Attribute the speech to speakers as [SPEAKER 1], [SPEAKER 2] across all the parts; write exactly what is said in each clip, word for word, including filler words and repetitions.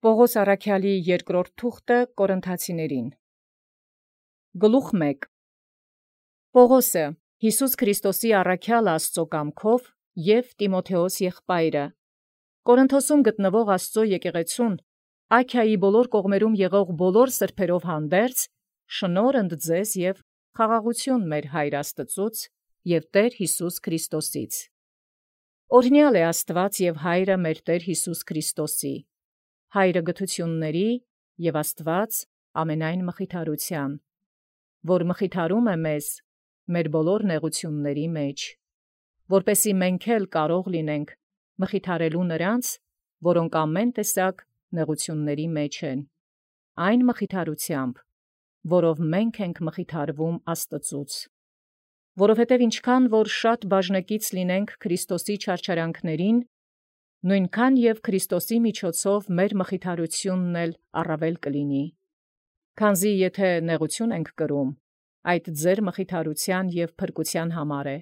[SPEAKER 1] Պողոս առաքյալի երկրորդ թուղթը Կորինթացիներին։ Գլուխ մեկ. Պողոսը, Յիսուս Քրիստոսի առաքյալ Աստծո կամքով և Տիմոթեոս եղբայրը, Կորինթոսում գտնվող Աստծո եկեղեցուն, Աքիայի բոլոր կողմերում եղող բոլոր սրբերով հանդերձ, շնորհ ընդ ձեզ և խաղաղություն մեր Հայր Աստծուց և Տեր Յիսուս Քրիստոսից։ Օրհնյալ է Աստված և Հայրը մեր Տեր Յիսուս Քրիստոսի, Հայրը գթությունների և Աստված ամենայն մխիթարության, որ մխիթարում է մեզ մեր բոլոր նեղությունների մեջ, որպեսզի մենք էլ կարող լինենք մխիթարելու նրանց, որոնք ամեն տեսակ նեղությունների մեջ են, այն մխիթարությամբ, որով մենք ենք մխիթարվում Աստծուց։ Որովհետև ինչքան որ շատ բաժնեկից լինենք Քրիստոսի չարչարանքներին, նույնքան և Քրիստոսի միջոցով մեր մխիթարությունն էլ առավել կլինի։ Քանզի եթե նեղություն ենք կրում, այդ ձեր մխիթարության և փրկության համար է,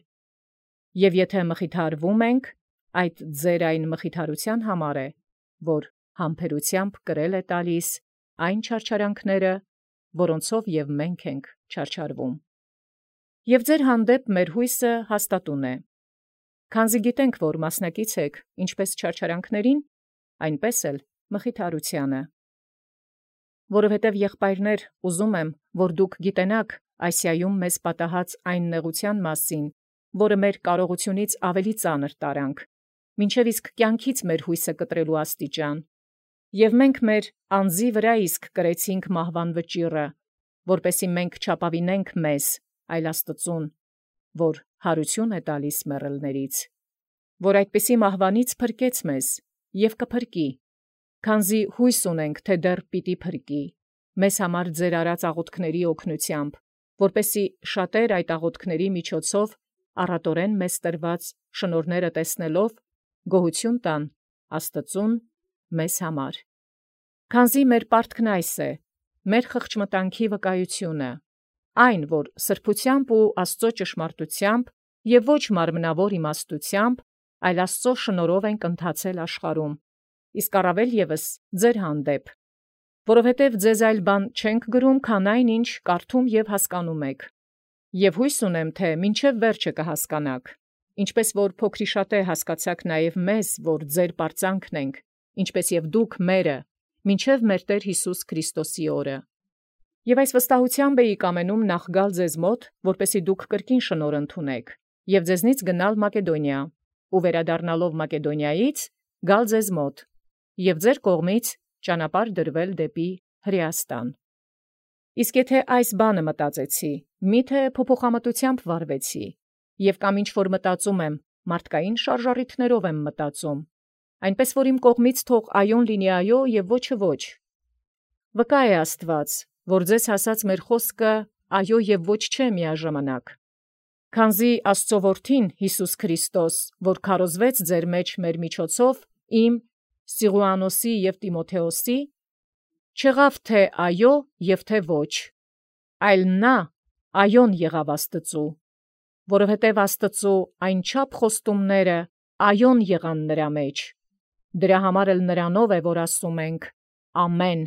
[SPEAKER 1] և եթե մխիթարվում ենք, այդ ձեր այն մխիթարության համար է, որ համբերությամբ կրել է տալիս այն չարչարանքները, որոնցով և մենք ենք չարչարվում։ Եվ ձեր հանդեպ մեր հույսը հաստատուն է, քանզի գիտենք, որ մասնակից եք ինչպես չարչարանքներին, այնպես էլ մխիթարությանը։ Որովհետև եղբայրներ, ուզում եմ, որ դուք գիտենաք Ասիայում մեզ պատահած այն նեղության մասին, որը մեր կարողությունից ավելի ծանր տարանք, մինչև իսկ կյանքից մեր հույսը կտրելու աստիճան, և մենք մեր անձի վրա իսկ կրեցինք մահվան վճիռը, որպեսզի մենք չապավինենք մեզ, այլ Աստծուն, որ հարություն է տալիս մեռելներից, որ այդպիսի մահվանից փրկեց մեզ և կփրկի, քանզի հույս ունենք, թե դեռ պիտի փրկի, մեզ համար ձեր արած աղոթքների օգնությամբ, որպեսզի շատեր այդ աղոթքների միջոցով առատորեն մեզ տրված շնորհները տեսնելով գոհություն տան Աստծուն մեզ համար։ Քանզի մեր պարտքն այս է, մեր խղճմտանքի վկայությունը, այն, որ սրբությամբ ու Աստծո ճշմարտությամբ և ոչ մարմնավոր իմաստությամբ, այլ Աստծո շնորհով ենք ընթացել աշխարհում, իսկ առավել ևս ձեր հանդեպ, որովհետև ձեզ այլ բան չենք գրում, քան այն, ինչ կարդում և հասկանում եք, և հույս ունեմ, թե մինչև վերջը կհասկանաք, ինչպես որ փոքրիշատե հասկացաք նաև մեզ, որ ձեր պարծանքն ենք, ինչպես և դուք մերը, մինչև մեր Տեր Յիսուս Քրիստոսի օրը։ Եվ այս վստահությամբ էի կամենում նախ գալ ձեզ մոտ, որպեսզի դուք կրկին շնորհ ընդունեք, և ձեզնից գնալ Մակեդոնիա, ու վերադառնալով Մակեդոնիայից գալ ձեզ մոտ, և ձեր կողմից ճանապարհ դրվել դեպի Հրեաստան։ Իսկ եթե այս բանը մտածեցի, միթե փոփոխամտությամբ վարվեցի, և կամ ինչ որ մտածում եմ, մարդկային շարժառիթներով եմ մտածում, այնպես որ իմ կողմից թող այոն լինի այո և ոչը ոչ։ Վկա է Աստված, որ ձեզ հասած մեր խոսքը այո և ոչ չէ միաժամանակ։ Քանզի Աստծո որդին Յիսուս Քրիստոս, որ քարոզվեց ձեր մեջ մեր միջոցով, իմ, Սիղուանոսի և Տիմոթեոսի, չեղավ թե այո և թե ոչ, այլ նա այոն եղավ Աստծու, որովհետև Աստծու այնչափ խոստումները այոն եղան նրա մեջ, դրա համար էլ նրանով է, որ ասում ենք. ամեն,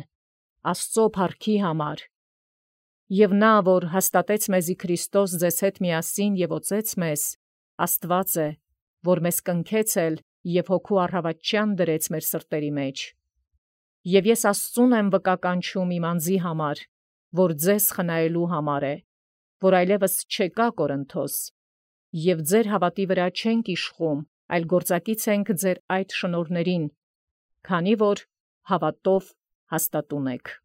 [SPEAKER 1] Աստծո փառքի համար։ Եվ նա, որ հաստատեց մեզի Քրիստոս ձեզ հետ միասին և օծեց մեզ, Աստված է, որ մեզ կնքեց էլ և հոգու առհավատչյան դրեց մեր սրտերի մեջ։ Եվ ես Աստծուն եմ վկա կանչում իմ անձի համար, որ ձեզ խնայելու համար է, որ այլևս չեկա Կորինթոս, և ձեր հավատի վրա չենք իշխում, այլ գործակից ենք ձեր այդ շնորհներին, քանի որ հավատով հաստատուն եք։